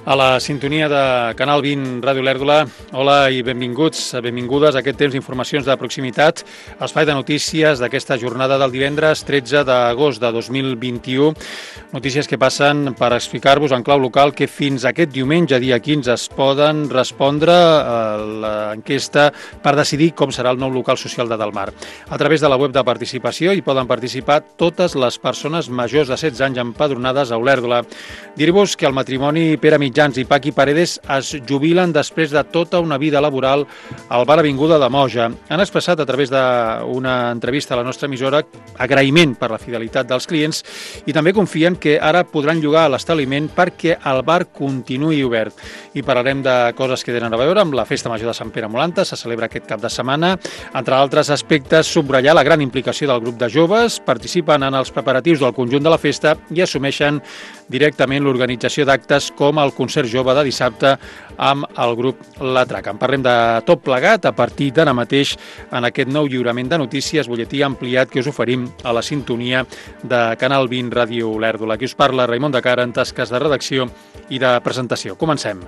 A la sintonia de Canal 20 Ràdio Lèrdula, hola i benvinguts, benvingudes a aquest temps d'informacions de proximitat, espai de notícies d'aquesta jornada del divendres 13 d'agost de 2021. Notícies que passen per explicar-vos en clau local que fins aquest diumenge, dia 15, es poden respondre a l'enquesta per decidir com serà el nou local social de Delmar. A través de la web de participació hi poden participar totes les persones majors de 16 anys empadronades a Olèrdola. Dir-vos que el matrimoni Pere Mitjans i Paqui Paredes es jubilen després de tota una vida laboral al bar Avinguda de Moja. Han expressat a través d'una entrevista a la nostra emissora agraïment per la fidelitat dels clients i també confien que ara podran llogar a l'establiment perquè el bar continuï obert. I parlarem de coses que tenen a veure amb la Festa Major de Sant Pere Molanta, se celebra aquest cap de setmana. Entre altres aspectes, subratllar la gran implicació del grup de joves, participen en els preparatius del conjunt de la festa i assumeixen directament l'organització d'actes com el concert jove de dissabte amb el grup La Traca. En parlem de tot plegat a partir d'ara mateix en aquest nou lliurament de notícies, butlletí ampliat que us oferim a la sintonia de Canal 20 Ràdio Lèrdula. Aquí us parla Raimon de Cara en tasques de redacció i de presentació. Comencem.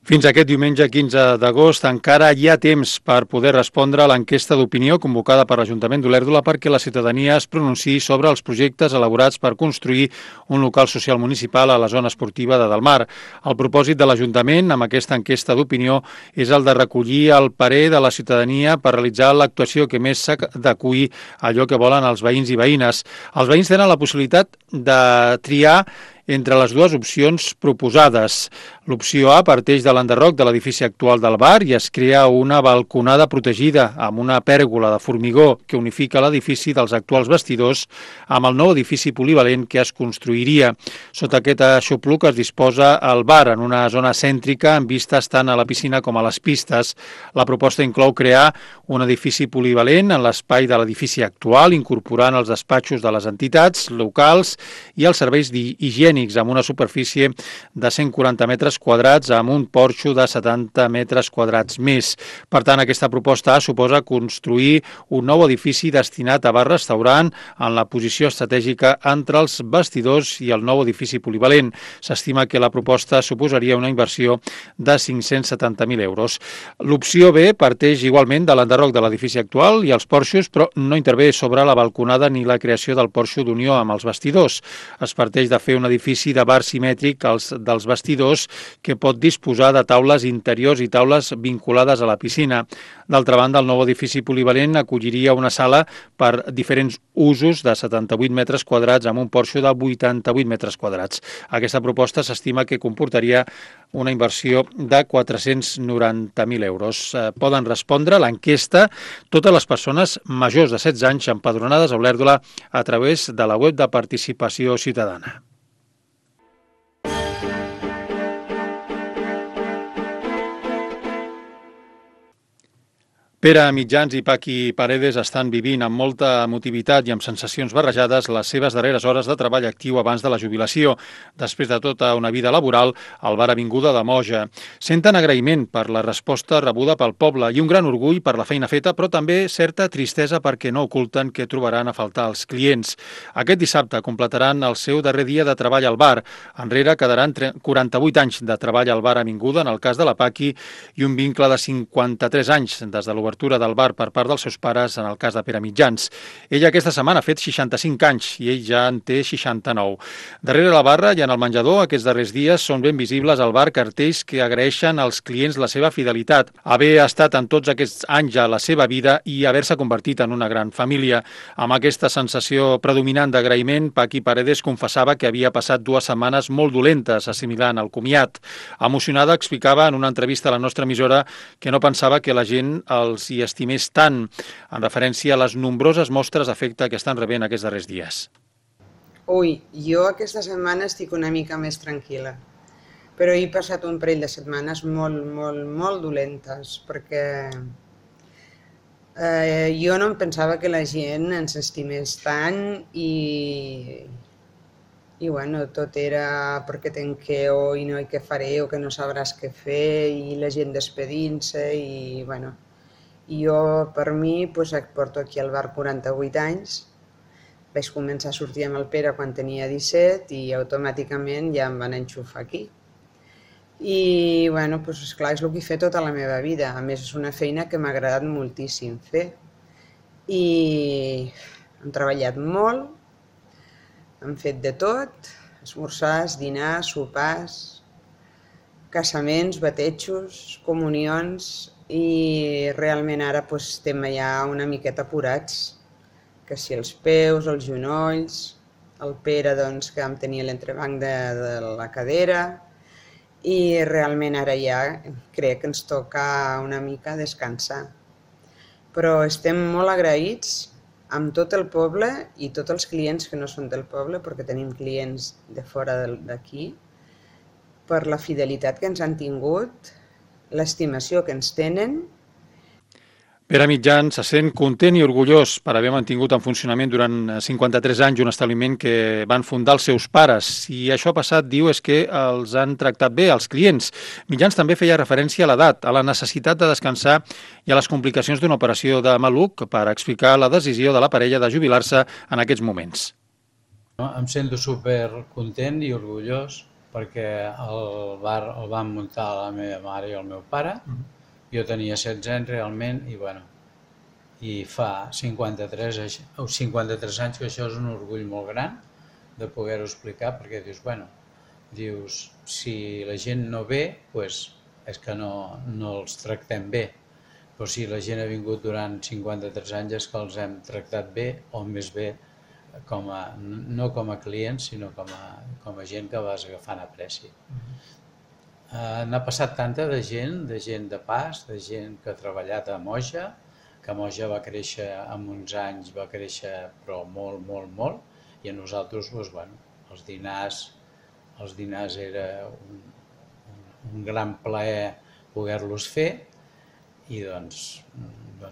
Fins aquest diumenge 15 d'agost encara hi ha temps per poder respondre a l'enquesta d'opinió convocada per l'Ajuntament d'Olèrdola perquè la ciutadania es pronunciï sobre els projectes elaborats per construir un local social municipal a la zona esportiva de Delmar. El propòsit de l'Ajuntament amb aquesta enquesta d'opinió és el de recollir el parer de la ciutadania per realitzar l'actuació que més s'adeqüi a allò que volen els veïns i veïnes. Els veïns tenen la possibilitat de triar entre les dues opcions proposades. L'opció A parteix de l'enderroc de l'edifici actual del bar i es crea una balconada protegida amb una pèrgola de formigó que unifica l'edifici dels actuals vestidors amb el nou edifici polivalent que es construiria. Sota aquest aixopluc es disposa el bar en una zona cèntrica amb vistes tant a la piscina com a les pistes. La proposta inclou crear un edifici polivalent en l'espai de l'edifici actual, incorporant els despatxos de les entitats locals i els serveis higiènics amb una superfície de 140 metres quadrats amb un porxo de 70 metres quadrats més. Per tant, aquesta proposta suposa construir un nou edifici destinat a bar-restaurant en la posició estratègica entre els vestidors i el nou edifici polivalent. S'estima que la proposta suposaria una inversió de 570.000 euros. L'opció B parteix igualment de l'enderroc de l'edifici actual i els porxos, però no intervé sobre la balconada ni la creació del porxo d'unió amb els vestidors. Es parteix de fer un edifici de bar simètric dels vestidors que pot disposar de taules interiors i taules vinculades a la piscina. D'altra banda, el nou edifici polivalent acolliria una sala per diferents usos de 78 metres quadrats amb un porxo de 88 metres quadrats. Aquesta proposta s'estima que comportaria una inversió de 490.000 euros. Poden respondre a l'enquesta totes les persones majors de 16 anys empadronades a Olèrdola a través de la web de participació ciutadana. Pere Mitjans i Paqui Paredes estan vivint amb molta emotivitat i amb sensacions barrejades les seves darreres hores de treball actiu abans de la jubilació. Després de tota una vida laboral al bar Avinguda de Moja. Senten agraïment per la resposta rebuda pel poble i un gran orgull per la feina feta, però també certa tristesa perquè no oculten que trobaran a faltar els clients. Aquest dissabte completaran el seu darrer dia de treball al bar. Enrere quedaran 48 anys de treball al bar Avinguda en el cas de la Paqui i un vincle de 53 anys des de l'obertura del bar per part dels seus pares en el cas de Pere Mitjans. Ella aquesta setmana ha fet 65 anys i ell ja en té 69. Darrere la barra i en el menjador aquests darrers dies són ben visibles al bar cartells que agraeixen als clients la seva fidelitat, haver estat en tots aquests anys a la seva vida i haver-se convertit en una gran família. Amb aquesta sensació predominant d'agraïment, Paqui Paredes confessava que havia passat 2 setmanes molt dolentes assimilant el comiat. Emocionada explicava en una entrevista a la nostra emissora que no pensava que la gent els hi estimés tant, en referència a les nombroses mostres d'afecte que estan rebent aquests darrers dies. Ui, jo aquesta setmana estic una mica més tranquil·la, però he passat un parell de setmanes molt dolentes, perquè jo no em pensava que la gent ens estimés tant i i bueno, tot era perquè tenqueu i no i què faré o que no sabràs què fer i la gent despedint-se i bueno, i jo per mi pues, porto aquí al bar 48 anys, vaig començar a sortir amb el Pere quan tenia 17 i automàticament ja em van enxufar aquí. I bueno, pues, esclar, és el que he fet tota la meva vida, a més és una feina que m'ha agradat moltíssim fer i hem treballat molt, hem fet de tot, esmorzars, dinars, sopars, casaments, batejos, comunions i realment ara pues, estem ja una miqueta apurats, que si els peus, els genolls, el Pere doncs, que em tenia l'entrebanc de la cadera i realment ara ja crec que ens toca una mica descansar. Però estem molt agraïts amb tot el poble i tots els clients que no són del poble, perquè tenim clients de fora d'aquí, per la fidelitat que ens han tingut, l'estimació que ens tenen. Pere Mitjan se sent content i orgullós per haver mantingut en funcionament durant 53 anys un establiment que van fundar els seus pares. I això ha passat, diu, és que els han tractat bé, els clients. Mitjans també feia referència a l'edat, a la necessitat de descansar i a les complicacions d'una operació de maluc per explicar la decisió de la parella de jubilar-se en aquests moments. Em sento super content i orgullós perquè el bar el van muntar la meva mare i el meu pare. Jo tenia 16 anys realment i fa 53 anys que això és un orgull molt gran de poder-ho explicar perquè dius, si la gent no ve, és que no els tractem bé, però si la gent ha vingut durant 53 anys és que els hem tractat bé o més bé no com a clients sinó com a gent que vas agafant apreci. N'ha passat tanta de gent de pas, de gent que ha treballat a Moja, que Moja va créixer en uns anys, va créixer però molt, molt, molt, i a nosaltres, els dinars era un gran plaer poder-los fer i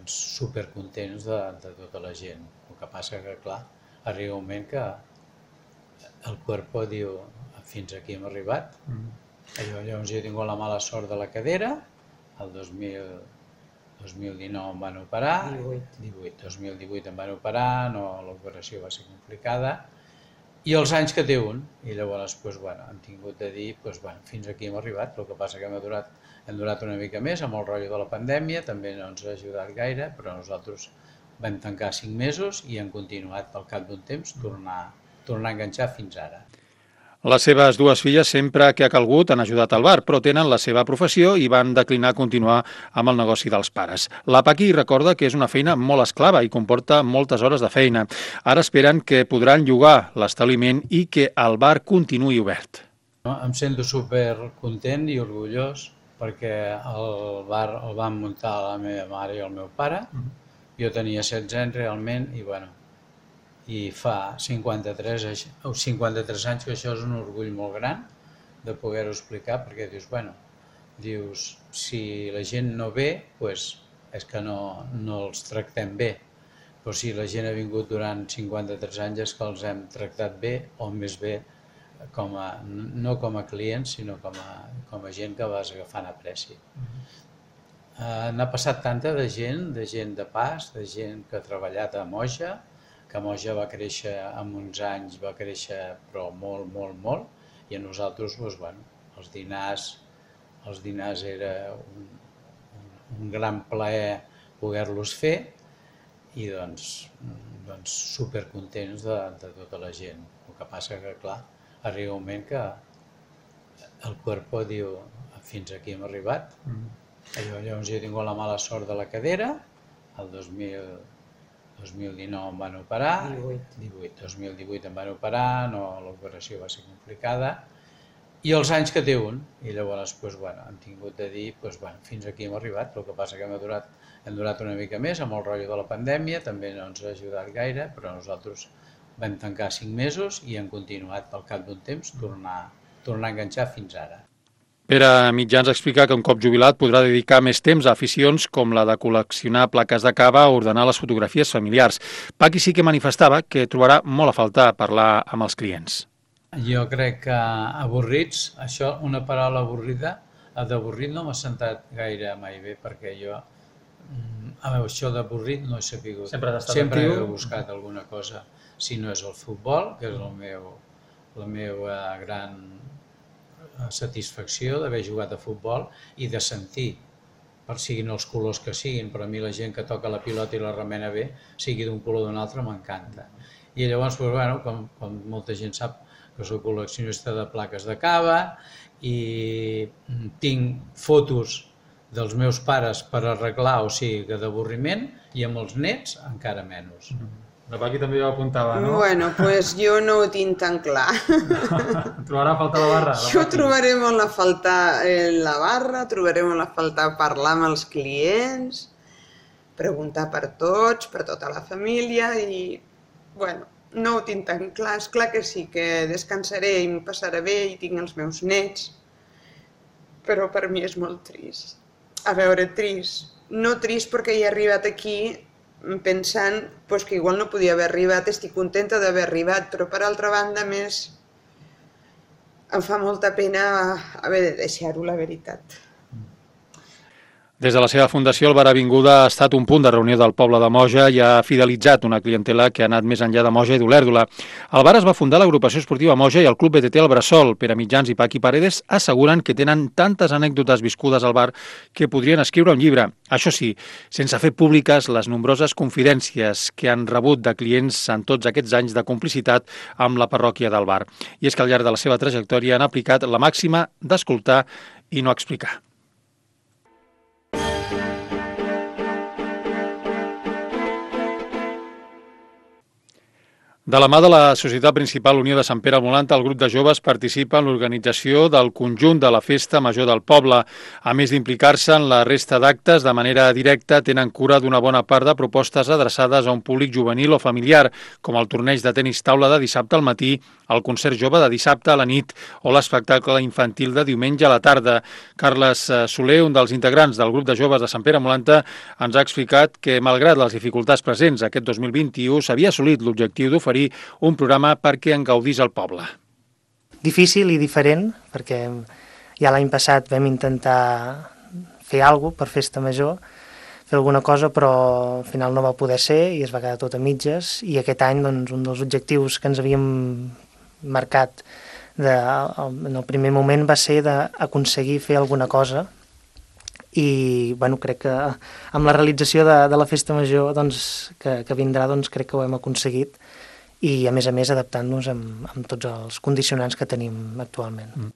supercontents de tota la gent. El que passa que, clar, arriba un moment que el cuerpo diu, fins aquí hem arribat. Llavors jo he tingut la mala sort de la cadera, el 2019 em van operar, 2018 em van operar, l'operació va ser complicada, i els anys que té un, i llavors han tingut de dir, fins aquí hem arribat, el que passa que hem durat una mica més amb el rotllo de la pandèmia, també no ens ha ajudat gaire, però nosaltres vam tancar 5 mesos i hem continuat al cap d'un temps tornar a enganxar fins ara. Les seves dues filles, sempre que ha calgut, han ajudat al bar, però tenen la seva professió i van declinar continuar amb el negoci dels pares. La Paqui recorda que és una feina molt esclava i comporta moltes hores de feina. Ara esperen que podran llogar l'establiment i que el bar continuï obert. Em sento super content i orgullós perquè el bar el van muntar la meva mare i el meu pare. Jo tenia 16 anys realment i fa 53 anys que això és un orgull molt gran de poder-ho explicar perquè dius, si la gent no ve, és que no els tractem bé, però si la gent ha vingut durant 53 anys és que els hem tractat bé o més bé no com a clients sinó com a gent que vas agafant apreci. N'ha passat tanta de gent de pas, de gent que ha treballat a Moja, que Moja va créixer en uns anys, va créixer però molt, molt, molt, i a nosaltres els dinars era un gran plaer poder-los fer i supercontents de tota la gent. El que passa que, clar, arriba un moment que el cuerpo diu, fins aquí hem arribat. Llavors jo he tingut la mala sort de la cadera, el 2019 em van operar, 2018 em van operar, l'operació va ser complicada, i els anys que té un, i llavors han tingut de dir, fins aquí hem arribat, el que passa que hem durat una mica més amb el rotllo de la pandèmia, també no ens ha ajudat gaire, però nosaltres vam tancar 5 mesos i hem continuat al cap d'un temps tornar a enganxar fins ara. Pere Mitjans explica que un cop jubilat podrà dedicar més temps a aficions com la de col·leccionar plaques de cava o ordenar les fotografies familiars. Paqui sí que manifestava que trobarà molt a faltar parlar amb els clients. Jo crec que avorrits, això, una paraula avorrida, d'avorrit no m'ha sentat gaire mai bé, perquè jo, això d'avorrit no he sabut. Sempre has estat Sempre actiu. he buscat alguna cosa, si no és el futbol, que és la meva gran satisfacció d'haver jugat a futbol i de sentir, per siguin els colors que siguin, però a mi la gent que toca la pilota i la remena bé, sigui d'un color o d'un altre, m'encanta. I llavors, bueno, com molta gent sap, que soc col·leccionista de plaques de cava i tinc fotos dels meus pares per arreglar, o sigui, que d'avorriment, i amb els nets encara menys. La Paqui també ho apuntava, no? Bueno, pues jo no ho tinc tan clar. Trobarà a faltar la barra? Jo trobaré molt a faltar la barra, trobaré molt a faltar parlar amb els clients, preguntar per tots, per tota la família i, bueno, no ho tinc tan clar. És clar que sí, que descansaré i m'ho passaré bé i tinc els meus nets, però per mi és molt trist. A veure, trist. No trist perquè he arribat aquí pensant que igual no podia haver arribat, estic contenta d'haver arribat, però per altra banda més em fa molta pena haver de deixar-ho, la veritat. Des de la seva fundació, el Bar Avinguda ha estat un punt de reunió del poble de Moja i ha fidelitzat una clientela que ha anat més enllà de Moja i d'Olèrdola. El bar es va fundar l'agrupació esportiva Moja i el Club BTT El Bressol. Pere Mitjans i Paqui Paredes asseguren que tenen tantes anècdotes viscudes al bar que podrien escriure un llibre. Això sí, sense fer públiques les nombroses confidències que han rebut de clients en tots aquests anys de complicitat amb la parròquia del bar. I és que al llarg de la seva trajectòria han aplicat la màxima d'escoltar i no explicar. De la mà de la Societat Principal Unió de Sant Pere al Volanta, el grup de joves participa en l'organització del conjunt de la Festa Major del Poble. A més d'implicar-se en la resta d'actes, de manera directa tenen cura d'una bona part de propostes adreçades a un públic juvenil o familiar, com el torneig de tenis taula de dissabte al matí, el concert jove de dissabte a la nit o l'espectacle infantil de diumenge a la tarda. Carles Soler, un dels integrants del grup de joves de Sant Pere al Volanta, ens ha explicat que, malgrat les dificultats presents aquest 2021, s'havia assolit l'objectiu d'oferir un programa perquè en gaudís el poble. Difícil i diferent, perquè ja l'any passat vam intentar fer alguna cosa per Festa Major, fer alguna cosa, però al final no va poder ser i es va quedar tot a mitges, i aquest any doncs, un dels objectius que ens havíem marcat en el primer moment va ser d'aconseguir fer alguna cosa, i bueno, crec que amb la realització de la Festa Major doncs, que vindrà, doncs, crec que ho hem aconseguit, i a més adaptant-nos amb tots els condicionants que tenim actualment.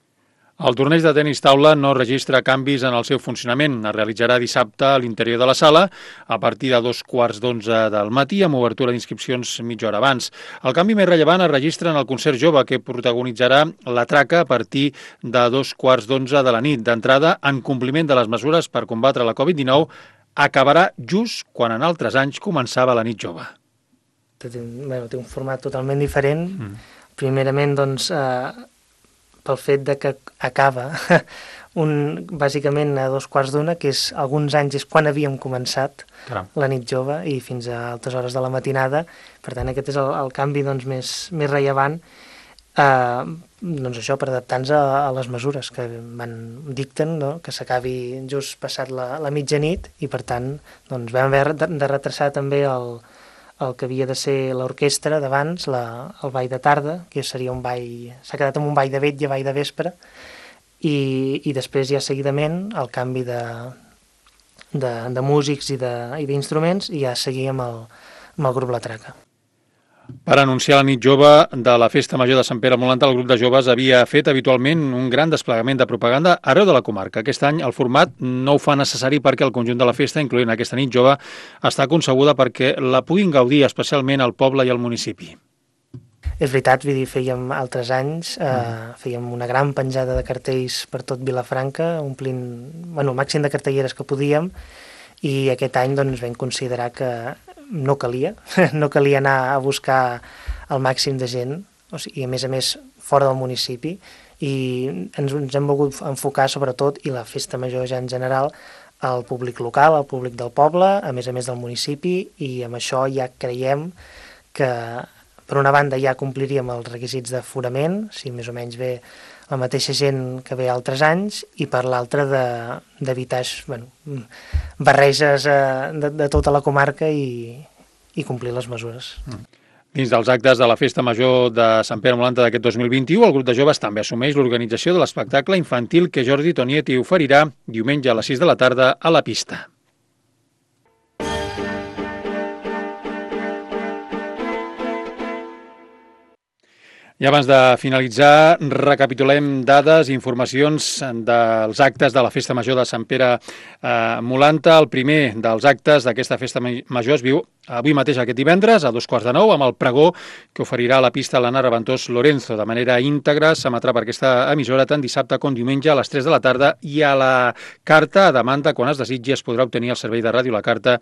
El torneig de tenis taula no registra canvis en el seu funcionament. Es realitzarà dissabte a l'interior de la sala a partir de 11:15 del matí amb obertura d'inscripcions mitja hora abans. El canvi més rellevant es registra en el concert jove que protagonitzarà la traca a partir de 11:15 de la nit. D'entrada, en compliment de les mesures per combatre la Covid-19, acabarà just quan en altres anys començava la nit jove. Té un format totalment diferent. Primerament, doncs, pel fet de que acaba bàsicament a 2:15, que és alguns anys és quan havíem començat la nit jove i fins a altes hores de la matinada. Per tant, aquest és el canvi doncs, més rellevant, doncs això, per adaptar-nos a les mesures que dicten, no? Que s'acabi just passat la mitjanit, i per tant doncs, vam haver de retrasar també el que havia de ser l'orquestra d'abans, el ball de tarda, que seria un ball, s'ha quedat amb un ball de vetlla, ball de vespre, i després ja seguidament el canvi de músics i d'instruments, i ja seguir amb el grup La Traca. Per anunciar la nit jove de la Festa Major de Sant Pere al Volanta, el grup de joves havia fet habitualment un gran desplegament de propaganda arreu de la comarca. Aquest any el format no ho fa necessari perquè el conjunt de la festa, incloent aquesta nit jove, està concebuda perquè la puguin gaudir especialment el poble i el municipi. És veritat, vull dir, fèiem altres anys, fèiem una gran penjada de cartells per tot Vilafranca, omplint el màxim de cartelleres que podíem, i aquest any doncs, vam considerar que no calia anar a buscar el màxim de gent, i a més fora del municipi, i ens hem volgut enfocar sobretot, i la Festa Major ja en general, al públic local, al públic del poble, a més del municipi, i amb això ja creiem que per una banda ja compliríem els requisits d'aforament, si més o menys ve la mateixa gent que ve altres anys, i per l'altra d'evitar barreges de tota la comarca i complir les mesures. Dins dels actes de la Festa Major de Sant Pere Molanta d'aquest 2021, el grup de joves també assumeix l'organització de l'espectacle infantil que Jordi Tonietti oferirà diumenge a les 6 de la tarda a la pista. I abans de finalitzar, recapitulem dades i informacions dels actes de la Festa Major de Sant Pere Molanta. El primer dels actes d'aquesta Festa Major es viu avui mateix, aquest divendres, a 8:45, amb el pregó que oferirà a la pista l'Anna Reventós Lorenzo. De manera íntegra s'emetrà per aquesta emissora tant dissabte com diumenge a les 3 de la tarda, i a la carta a demanda, quan es desitgi, es podrà obtenir el servei de ràdio La Carta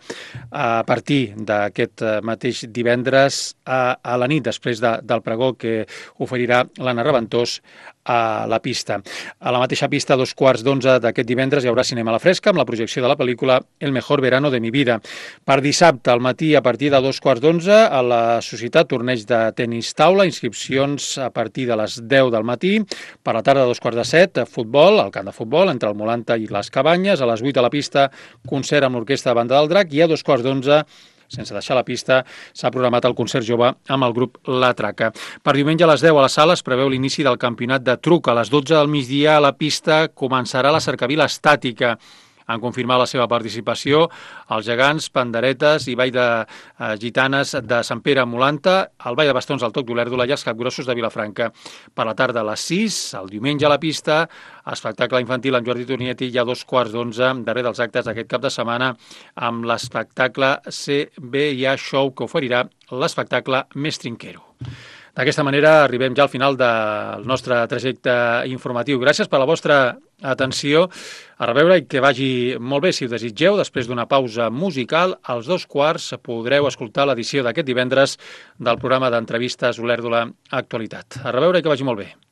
a partir d'aquest mateix divendres a la nit, després del pregó que oferirà l'Anna Reventós a la pista. A la mateixa pista, a 11:15 d'aquest divendres, hi haurà cinema a la fresca amb la projecció de la pel·lícula El mejor verano de mi vida. Per dissabte, al matí, a partir de 11:15, a la Societat, torneig de tenis taula, inscripcions a partir de les 10 del matí. Per la tarda, a 6:45, futbol, al camp de futbol, entre el Molanta i les Cabanyes. A les 8 a la pista, concert amb l'Orquestra de Banda del Drac, i a 2:15, sense deixar la pista, s'ha programat el concert jove amb el grup La Traca. Per diumenge a les 10 a la sala es preveu l'inici del campionat de truc. A les 12 del migdia a la pista començarà la cercavila estàtica. Han confirmat la seva participació els gegants, panderetes i ball de gitanes de Sant Pere Molanta, el ball de bastons al Toc d'Olèrdola i els capgrossos de Vilafranca. Per la tarda a les 6, el diumenge a la pista, espectacle infantil amb Jordi Tonietti, i a 2:15, darrer dels actes d'aquest cap de setmana, amb l'espectacle CBA Show, que oferirà l'espectacle Més Trinquero. D'aquesta manera arribem ja al final del nostre trajecte informatiu. Gràcies per la vostra atenció. A reveure i que vagi molt bé. Si ho desitgeu, després d'una pausa musical, als 2:15 podreu escoltar l'edició d'aquest divendres del programa d'entrevistes Olèrdola Actualitat. A reveure i que vagi molt bé.